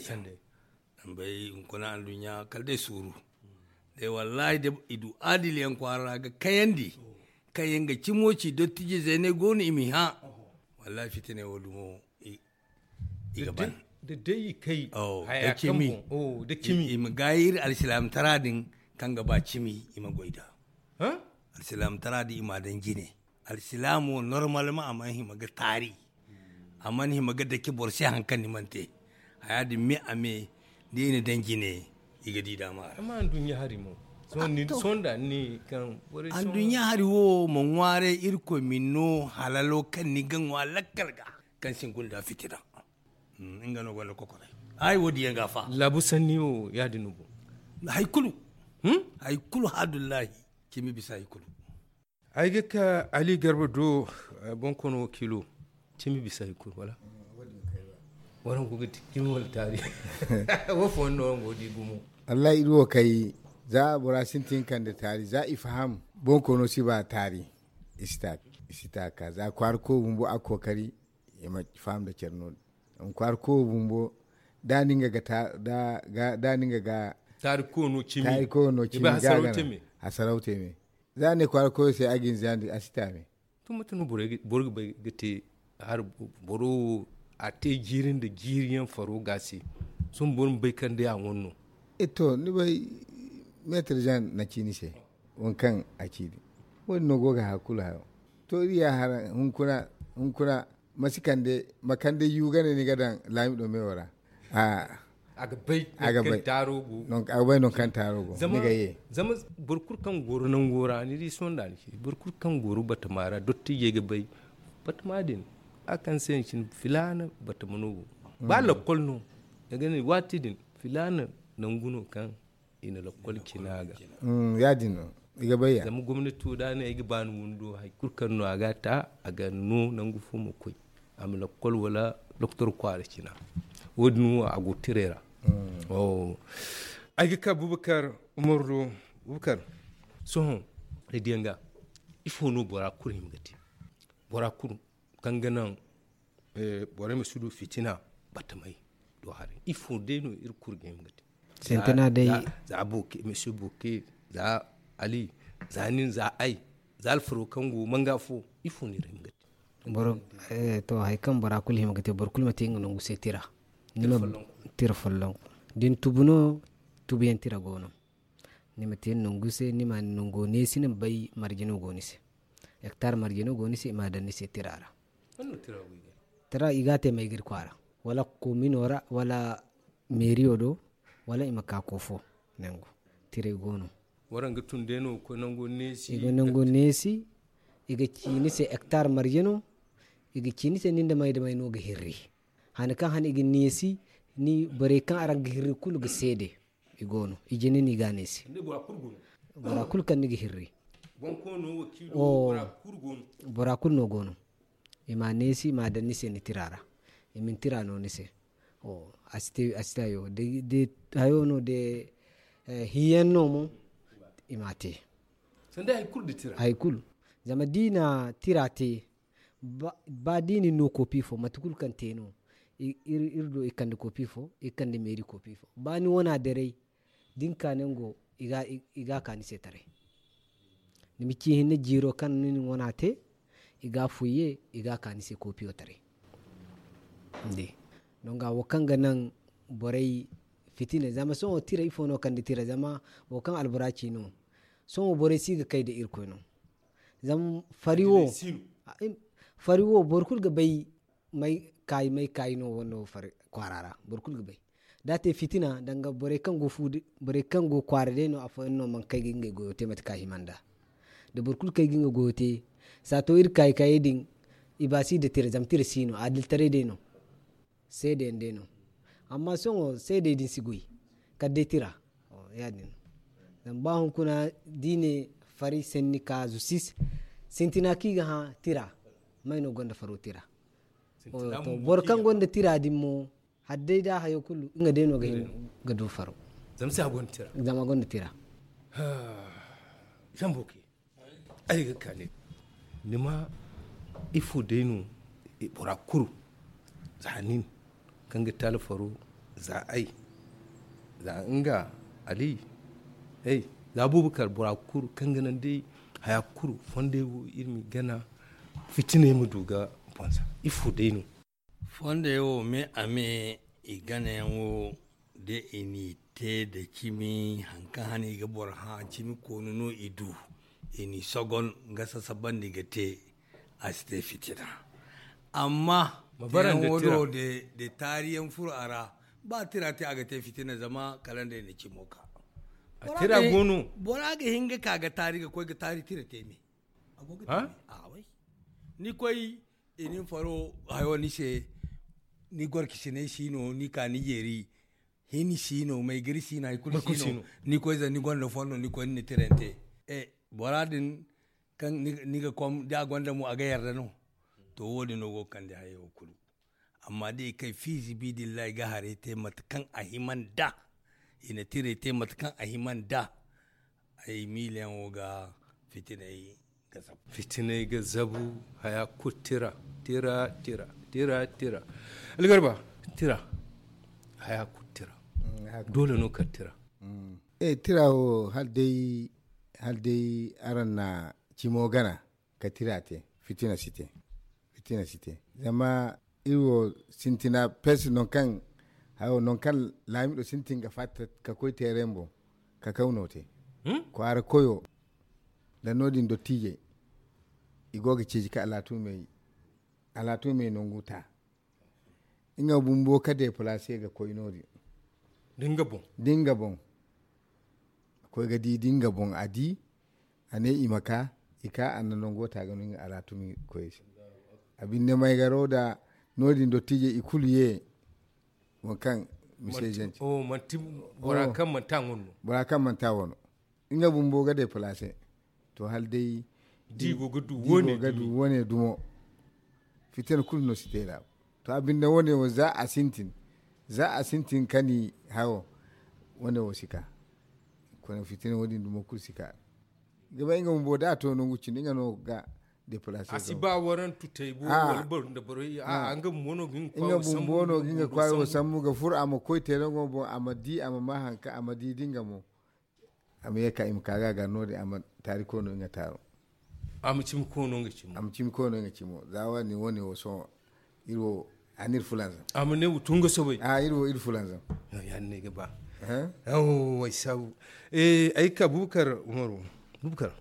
Bay hunkuna anduɲɲa kala day suuru. Day wallahi da i du adiliyaŋ kwaara ra ga kayandi kaŋ yaŋ ga cimo ci dottijizey ne go no i m'i hã. Wallahi fitiney wo- din wo i ga ban da day i kay haya kaŋ boŋ da cimi i ma gaayi iri alsilaamtara din kaŋ ga ba cimi i ma goy nd'a. Alsilaamtara din i m'a daŋ jine. Alsilaamo normalement a mana hima ga taari. A mana hima ga dake boro se hari kaŋ ni mana te. Haya din me a me da i na daŋ jine i ga di daama ra. Amma anduɲɲa hari mo Sonda ni kaŋ anduɲɲa hari wo ma ŋwaaray irkoy ma ni no halalo kaŋ ni ga ŋwa lakkal ga kaŋ si gunda fitina. Nga no gonda kokoray. Ay wo diyaŋ ga fa laabu sanni wo ya- din no bo. Hay kulu hay kulu hadullahi. Cimi bisa hay kulu. Ay ga ka ali garba do. Bonkoono wakiilo cimi bisa hay kulu wala? Waraŋ go ga ti cimi wala taari? Wo fo no waŋ go di gumo. Wallahi iri wo kay za bora sintin kande taari za i faham. Bonkoono si ba taari. I si ta ka za kwaara ko bumbo a kookari. I ma faham da care no din. Kwaara ko bumbo da ni nga ga taari ko no cimi ga gana. A sarauta me za ne kwaara ko se a ga ni zandi a si ta me. To mate no boro ga bay ga te har boro wo a te jiiri nda jiiri yaŋ faro ga se. Sohõ boro ma bay kaŋ day a wane no. To ni bay meetar jan na ci ni se. Waŋ kaŋ a ci din wo- din no go ga hakkulu hayo. To iri ya hara hunkuna ma si kande ma kande yu gane ni ga daŋ laami do meewo ra. A ga bay a ga bay non kaŋ taaro go ni ga ye. Zama boro kulu kaŋ goro nango ra ni di sohõ da ni ci boro kulu kaŋ goro batama ra dottijey ga bay. Batama din a kaŋ se ni cine filaana batama no go. Ba lakkol no ni ga ne waati din filaana nangu no kaŋ i na lakkol cina ga. Ya- din no i ga bay ya. Zama gomnati wo da a ne ay ga ba ni windo hari kulu kaŋ no a ga a ta a ga no nangu fo ma koy. A ma lakkol wala doktor kwaara cina. Wo- din wo a go tiray ra. Ay ga ka bubakar umaru do. Bubakar sohõ ay diyaŋ ga ifo no bora kulu hima ga te? Bora kulu kaŋ ga naŋ borey ma si du fitina batamey do haray ifo day no iri kulu ga hima ga te? Sintina day za boke misi boke za ali za nin za ay za alfaro kaŋ go manga fo ifo no iri hima ga te? To hari kaŋ bora kulu hima ga te boro kulu ma te nga nangu se tira. Tira follonku da ni tubu no tubuyaŋ tira go no. Ni ma te ni nangu se ni ma ni nango neesi ni ma bay marje no go ni se. Hektar marje no go ni se i ma a daŋ ni se tira ra. Tira i ga a te may ga iri kwaara wala komino ra wala meeriyo do wala i ma ka koofo nangu. Tiray go no. Waraŋ ga tun day no ga koy nango neesi i ga nango neesi. I ga ci ni se hektar marje no. I ga ci ni se nin da may da may no ga hirri. Hani kaŋ han i ga neesi ni borey kaŋ araŋ ga hirri kulu ga seede. I go no i jina ni ga a neesi. Bora kulu kaŋ ni ga hirri bora kulu no go no. I ma a neesi i ma a daŋ ni se ni tira ra. I ma ni tira no ni se. A si te hayo de hayo no de hiyaŋ no mo. I ma a te hari kulu zama da i na tira te. Ba da i na ni no kopi fo mate kulu kaŋ te no iri do i kande kopi fo i kande meeri kopi fo ba ni wana daray. Da ni ka nango i ga a ka ni se taray. Ni ma ci hinne jiiro kaŋ ni na wana te i ga a fuye i ga a ka ni se kopiyo taray. Donga wo kaŋ ga naŋ borey fitina zama sohõ tira ifo no kande tira zama wo kaŋ albura ci no. Sohõ borey si ga kay nda irkoy no. Zama fari wo fari wo boro kulu ga bay may kaayi may kaayi no wano kwaara ra. Boro kulu ga bay da a te fitina danga borey kaŋ go kwaara day no afooyaŋ no mana kay ga ngey goyo te mate kaŋ a hima nd'a. Da boro kulu kay ga nga goyo te saato iri kaayi kaayey din. I ba si nda tira zama tira si no adiltaray day no. Seedeyaŋ day no. Amma sohõ seedey din si goy kala day tira. Ya- din no. Zama ba hunkuna da i ne fari sanni ka zusis sintina kaŋ i ga hã tira. May no gonda faro tira? Boro kaŋ gonda tira din mo hari day da hayo kulu nga day no ga hin ga du faro. Zama a gonda tira. Ay ga ka ne ni ma ifo day no bora kulu za nin kaŋ ga te alfaro za ay za nga ali za bubakar bora kulu kaŋ ga naŋ day haya kulu fondey wo iri ma i gana fitiney ma du ga bonza ifo day no. Fondey wo me a me i gana yaŋ wo da i n'i te nda cimi hari kaŋ hane i ga boro hã cimi koonu no i du i n'i sogon ga sasabandi ga te. A si te fitina amma da taariyaŋ furo a ra ba tira te a ga te fitina zama kala nd'ay na cimo ka. A tira go no. Bora ga hin ga ka ga taari ga koy ga taari tira te me. A go ga te me. Ni koy i nin faro hayo ni se. Ni gorki sinay si no ni ka ni jeeri. Hini si no maygari si no hari kulu si no. Ni koy za ni gonda fondo ni koy ni na tirante. Bora din kaŋ ni ga kom da a gonda mo a ga yarda no. To wo- din no go ga kande hayo kulu. Amma da i kay fiizi bidillahi ga haray te mate kaŋ a hima nd'a. I na tiray te mate kaŋ a hima nd'a. Ay miilayaŋo ga fitinay ga zabu. Fitinay ga zabu. Haya kulu tira tira tira tira tira. Algarba tira. Haya kulu tira. Doole no kar tira. Tira wo hala day araŋ na cimo gana ka tira te. Fitina si te. Fitina si te. Zama iri wo sintina pes non kaŋ hayo non kaŋ laamido sintin ga fatta ka koy teeray boŋ ka kawno te. Kwaara koyo nda no- din dottiijey i go ga ceeci ka alaatumey alaatumey nangu ta. Nga bumbo ka deplace ga koy no- din da nga boŋ. Da nga boŋ a koy ga di da nga boŋ a di. A ne i ma ka i ka a na nango ta ga no nga alaatumi koy se. A binde maygaro da no- din dottiijey i kulu ye. Wo kaŋ mise zance. Bora kaŋ manti a ŋun no. Bora kaŋ manti a wano nga bumbo ga deplace. To hala day di go ga du wane dumo. Fitina kulu no si te ra. To a binde wane wo za a sintin za a sintin kani hawo. Wane wo si ka kone fitina wo- din dumo kulu si ka. Ga bay nga bumbo da a to nangu cindi nga no ga deplace a si ba waran tutay bo wala boro nda boro a nga bumbo no ga nga kwayo sambu ga furo a ma koy te nango boŋ a ma di a ma ma hanka a ma di da nga mo. A ma ye ka i ma ka ga a ga no- din a ma taari koy no nga taaro. A ma cimi koy no nga cimo. Za wa- din wane wo sohõ iri wo a na iri fulanzam. A ma ne wo tun ga sobay. Iri wo iri fulanzam. Ya- din no ay ga ba. Ay saabu. Ay ga ka bubakar umaru. Bubakar.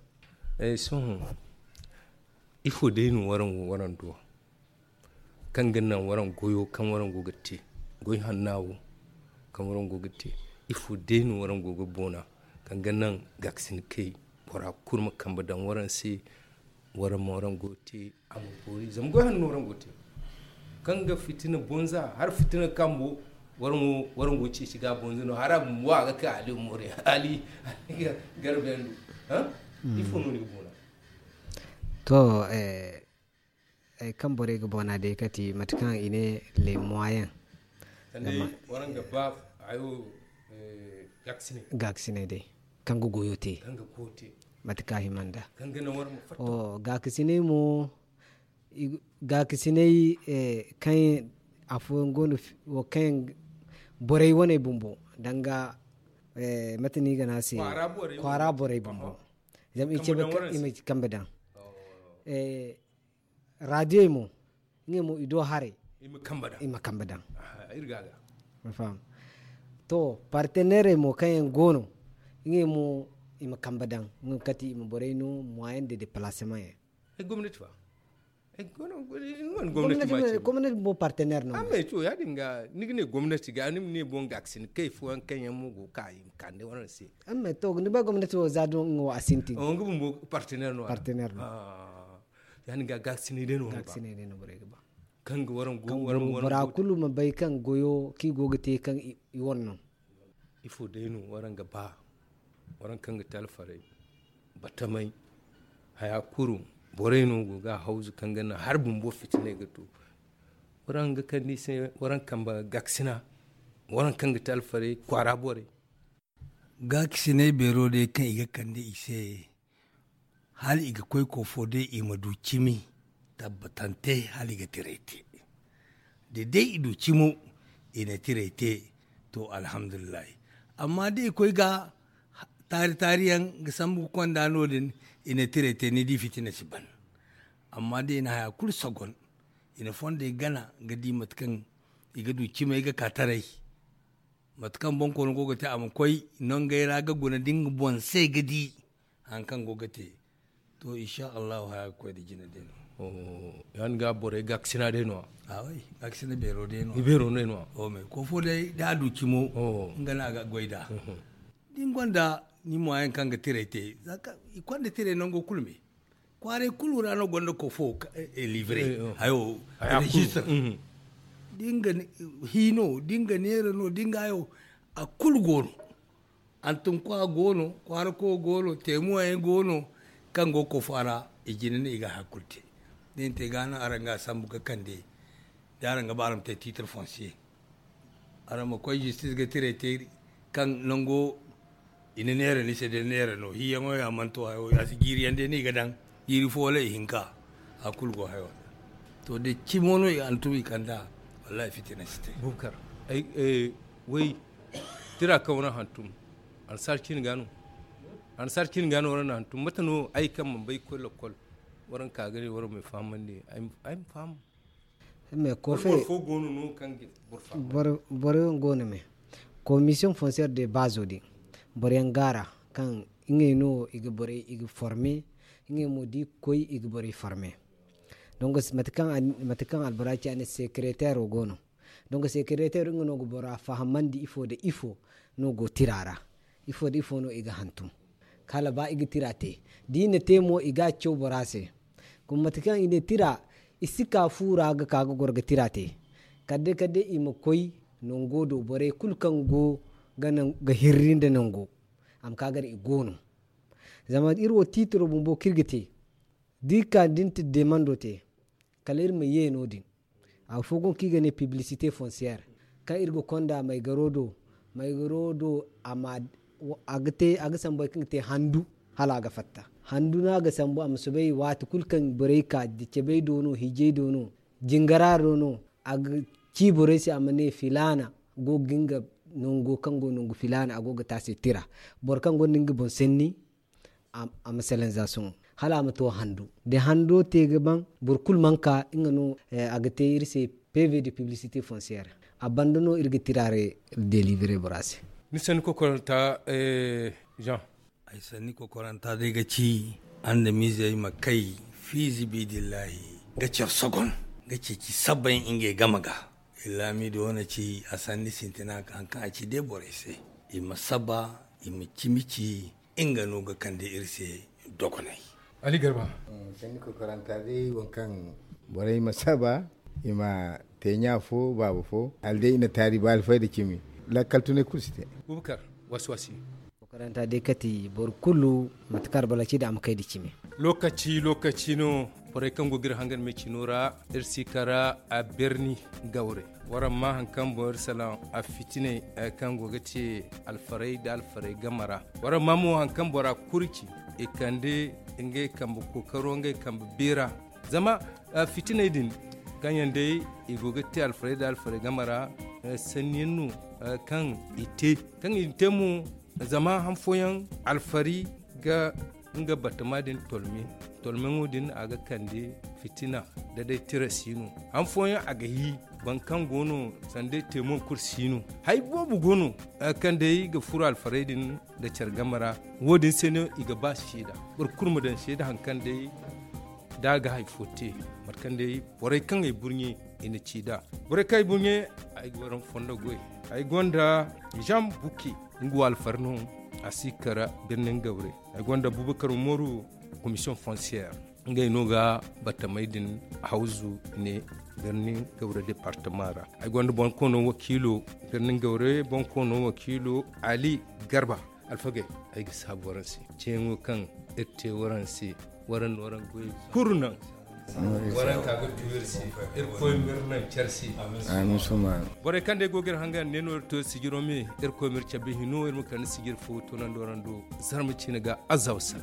Sohõ ifo day no waraŋ go waraŋ do? Kaŋ ga naŋ waraŋ goyo kaŋ waraŋ go ga te goy hanna wo kaŋ waraŋ go ga te. Ifo day no waraŋ go ga boona kaŋ ga naŋ gaakasinakey bora kulu ma kambe daŋ waraŋ se? Waraŋ ma waraŋ go ga te a ma boori zama goy hanno no waraŋ go ga te. Kaŋ ga fitina bonza hala fitina kambo waraŋ go ga ceeci ga a bonza no hala a bumbo a ga ka ali moore ali garbe yaŋ do. Ifo no ni ga boona? To ay kaŋ borey ga bona day kati mate kaŋ i ne les moyens. Gaakasinay day kaŋ ga goyo te mate kaŋ a hima nda gaakasinay mo. Gaakasinay kaŋ afooyaŋ go no wo kaŋ yaŋ borey wane bumbo danga mate no i ga ne a se kwaara borey bumbo. Zama i ce i ma kambe daŋ raadiyey mo ngey mo i do haray i ma kambe daŋ. To parteneerey mo kaŋ yaŋ go no ngey mo i ma kambe daŋ nga kati i ma borey no moyen de déplacement yaŋ. Gomnati fa gomnati mo parteneer no amma to ya- din ga ni ga ne gomnati ga ni ma ne boŋ gaakasin kay fooyaŋ kaŋ yaŋ mo go ga ka i ma kande waraŋ se. Amma to ni bay gomnati wo za do nga wo a sintin nga bumbo parteneer no parteneer no. Ya- din ga gaakasinay day no borey ga ba kaŋ ga waraŋ go waraŋ bora kulu ma bay kaŋ goyo kaŋ i go ga te kaŋ i wane no. Ifo day no waraŋ ga ba waraŋ kaŋ ga te alfarey batamay haya kulu borey no go ga a hawzu kaŋ ga naŋ hari bumbo fitinay ga to. Waraŋ ga kande i se waraŋ kambe gaakasina waraŋ kaŋ ga te alfarey kwaara borey. Gaakasinay beero day kaŋ i ga kande i se hala i ga koy koofo day i ma du cimi tabbatante hala i ga tiray te. Da day i du cimo i na tiray te to alhamdulillahi. Amma da i koy ga taari taari yaŋ ga sambu ga konda no- din i na tiray te ni di fitina si ban. Amma da i na haya kulu sogon i na fondey gana ga di mate kaŋ i ga du cimey ga ka taray. Mate kaŋ bonkoono go ga te a ma koy nongey ra ga guna da nga boŋ se ga di hari kaŋ go ga te. To insha allahu haya ga koy da jina day no. Ya- din ga borey gaakasina day no- ya gaakasina beero day no- ya beero day no- ya. Koofo day da a du cimo nga no a ga goy nd'a. Da ni gonda Ni moyen kaŋ ga tiray te, i konda tiray nango kulu me. Kwaaray kulu ra no gonda kofo livre hayo, registre. Dinga hino dinga neera no dinga hayo, a kulu goono. Antum kwa goono, kwaara ko goono, teemuwayaŋ goono. Kaŋ go kofo a ra, i jina ne i ga hakul te. Da i na te ga no araŋ ga a sambu ga kande. Da araŋ ga ba araŋ ma te titre foncier, araŋ ma koy justice ga tiray te. Kaŋ nango i na neera ni se da neera no hiyaŋo ya manto hayo ya si jiiri yaŋ day no i ga daŋ. Jiiri fo wala i hinka. A kulu go hayo. To da cimo no i antum i kanda. Wallahi fitina si te. Bukar, ay way tira kaŋ waraŋ hantum. Annasaara ciine ga no. Annasaara ciine ga no waraŋ na hantum mate no ay kaŋ mana bay ga koy lokol. Waraŋ ka ga ne waraŋ ma ay fahamandi. Ay ma faham. Mais kofe boro fo goono no kaŋ ga boro faham. Boro yaŋ goono me. Commission foncière de base din boro yaŋ gaara kaŋ ngey no i ga borey i ga forme. Ngey mo da i ga koy i ga borey forme. Donc mate kaŋ albora ci a ne secrétaire wo goono. Donc secrétaire nga no ga bora fahamandi ifo da ifo no go tira ra. Ifo da ifo no i ga hantum hala ba i ga tira te. Da i na te mo i ga a caw bora se. Kuma mate kaŋ i ne tira i si ka fu ra ga ka ga goro ga tira te. Kala day kala day i ma koy nango do borey kulu kaŋ go ga hirri nda nango a ma ka gar i goono. Zama iri wo tiitiro bumbo kaŋ iri ga te da iri ka da iri na demando te kala iri ma ye no- din. Afo go no kaŋ i ga ne publicité foncière kaŋ iri ga konda maygaro do. Maygaro do a ga sambu hari kaŋ ga te handu hala a ga fatta. Handu no a ga sambu a ma soobay waati kulu kaŋ borey ka da cabey do no hijey do no jingara do no. A ga ci borey se a ma ne filaana go ga nga nango kaŋ go nangu filaana a go ga te a se tira. Boro kaŋ gonda nga boŋ sanni a ma salanza sohõ hala a ma to handu. Da hando te ga ban boro kulu mana ka nga no a ga te iri se pv de publicité foncière. A banda no iri ga tira re delivrer bora se. Ni sanni kokoranta jean. Ay sanni kokoranta day ga ci andamizey ma kay fiizibidillahi ga care sogon ga ceeci sabbay ngey game ga. Laamido wane ci a sanni sintina ka haŋ kaŋ a ci day borey se i ma saba i ma cimi ci. Nga no ga kande iri se dogonay. Ali garba. Sanni kokoranta day waŋ kaŋ borey ma saba i ma te ɲa fo baaba fo hala day i na taari ba alfayda cimi. Lakkal tunay kulu si te. Bubakar wasi wasi. Kokoranta day kati boro kulu mate kaŋ a ra balaci da a ma kay da cimi. Lokaci lokaci no borey kaŋ go ga iri hangan me cino ra iri si kara a berni gawre. Waraŋ ma haŋ kaŋ boŋ iri salaŋ a fitiney kaŋ go ga te alfarey nda alfarey game ra. Waraŋ ma mo haŋ kaŋ bora kuri ci i kande ngey kambe kookaro ngey kambe beera. Zama fitiney din kaŋ yaŋ day i go ga te alfarey nda alfarey game ra sanni yaŋ no kaŋ i te kaŋ i te mo. Zama han fooyaŋ alfari ga nga batama din tolme tolmeŋo din a ga kande fitina da day tira si no. Han fooyaŋ a ga hi boro kaŋ go no sanda ay te mo kulu si no. Hari boobo go no kaŋ day ga furo alfarey din nda care game ra. Wo- din se no i ga ba seeda boro kulu ma daŋ seeda hari kaŋ day da a ga hari fo te mate kaŋ day borey kaŋ ay burɲe i na ci nd'a. Borey kaŋ ay burɲe ay ga waraŋ fondo goy. Ay gonda jean buki nga wo alfari no a si kara birnin gawre. Ay gonda bubakar umaru commission foncière ngey no ga batamey din hawzu ne birnin gawre departement ra. Ay gonda bonkoono wakiilo birnin gawre bonkoono wakiilo ali garba. Alfagey ay ga saabu waraŋ se ceeyaŋo kaŋ iri te waraŋ se. Waraŋ na waraŋ goy kuru naŋ waraŋ ka ga du iri se. Irkoy ma iri naŋ care se. Borey kaŋ day go ga iri hangan ne no iri to sijiro me. Irkoy ma iri cabe hino iri ma kande sijir fo toonandi waraŋ do. Zarma ciine ga azawsa.